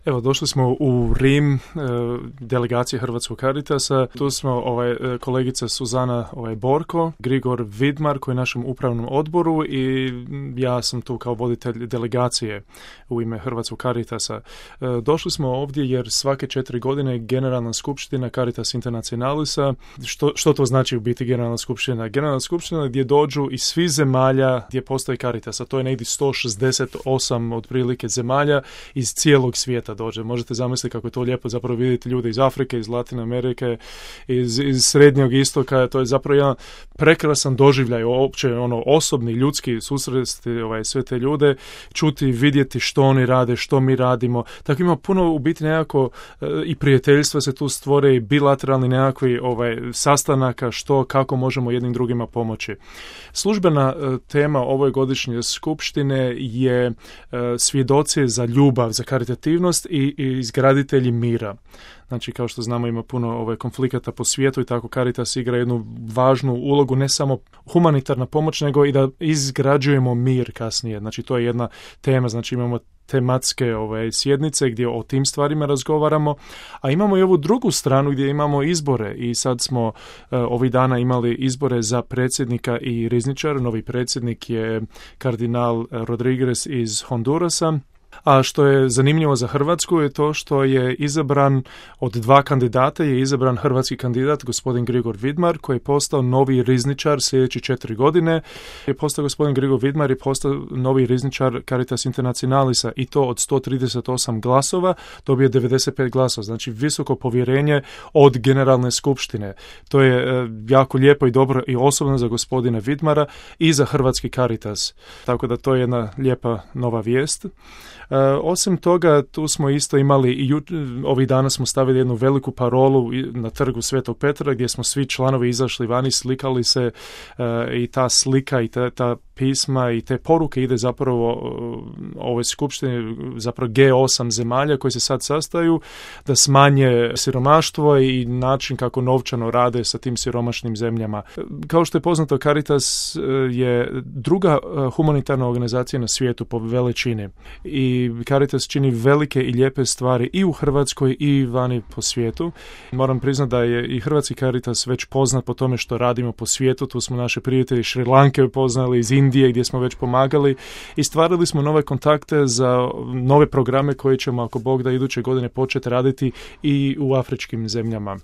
Evo, došli smo u Rim, delegacije Hrvatskog Caritasa. Tu smo kolegica Suzana Borko, Grigor Vidmar koji je našem upravnom odboru i ja sam tu kao voditelj delegacije u ime Hrvatskog Caritasa. Došli smo ovdje jer svake 4 godine Generalna skupština Caritas Internationalisa, što to znači u biti Generalna skupština? Generalna skupština gdje dođu iz svih zemalja gdje postoji Caritas, a to je negdje 168 otprilike zemalja iz cijelog svijeta dođe. Možete zamisliti kako je to lijepo zapravo vidjeti ljude iz Afrike, iz Latine Amerike, iz Srednjeg istoka. To je zapravo jedan prekrasan doživljaj, uopće osobni, ljudski susresti sve te ljude, čuti, vidjeti što oni rade, što mi radimo. Tako ima puno u biti nekako i prijateljstva se tu stvore i bilateralni nekakvi sastanaka kako možemo jednim drugima pomoći. Službena tema ove godišnje skupštine je svjedoci za ljubav, za karitativnost i izgraditelji mira. Znači, kao što znamo, ima puno konflikata po svijetu i tako Caritas igra jednu važnu ulogu, ne samo humanitarna pomoć, nego i da izgrađujemo mir kasnije. Znači, to je jedna tema, znači imamo tematske sjednice gdje o tim stvarima razgovaramo, a imamo i ovu drugu stranu gdje imamo izbore i sad smo ovih dana imali izbore za predsjednika i rizničara. Novi predsjednik je kardinal Rodriguez iz Hondurasa. A što je zanimljivo za Hrvatsku je to što je izabran od 2 kandidata, je izabran hrvatski kandidat, gospodin Grigor Vidmar, koji je postao novi rizničar sljedeći 4 godine. Je postao gospodin Grigor Vidmar i postao novi rizničar Caritas Internationalisa i to od 138 glasova dobije 95 glasova. Znači visoko povjerenje od generalne skupštine. To je jako lijepo i dobro i osobno za gospodina Vidmara i za hrvatski Caritas. Tako da to je jedna lijepa nova vijest. Osim toga, tu smo isto imali i ovih dana smo stavili jednu veliku parolu na trgu Svetog Petra gdje smo svi članovi izašli vani, slikali se i ta slika i ta pisma i te poruke ide zapravo ove skupštine, zapravo G8 zemalja koji se sad sastaju da smanje siromaštvo i način kako novčano rade sa tim siromašnim zemljama. Kao što je poznato, Caritas je druga humanitarna organizacija na svijetu po veličini i Caritas čini velike i lijepe stvari i u Hrvatskoj i vani po svijetu. Moram priznati da je i hrvatski Caritas već poznat po tome što radimo po svijetu. Tu smo naše prijatelji Šri Lanke poznali, iz Indije gdje smo već pomagali i stvarili smo nove kontakte za nove programe koje ćemo, ako Bog da, iduće godine početi raditi i u afričkim zemljama.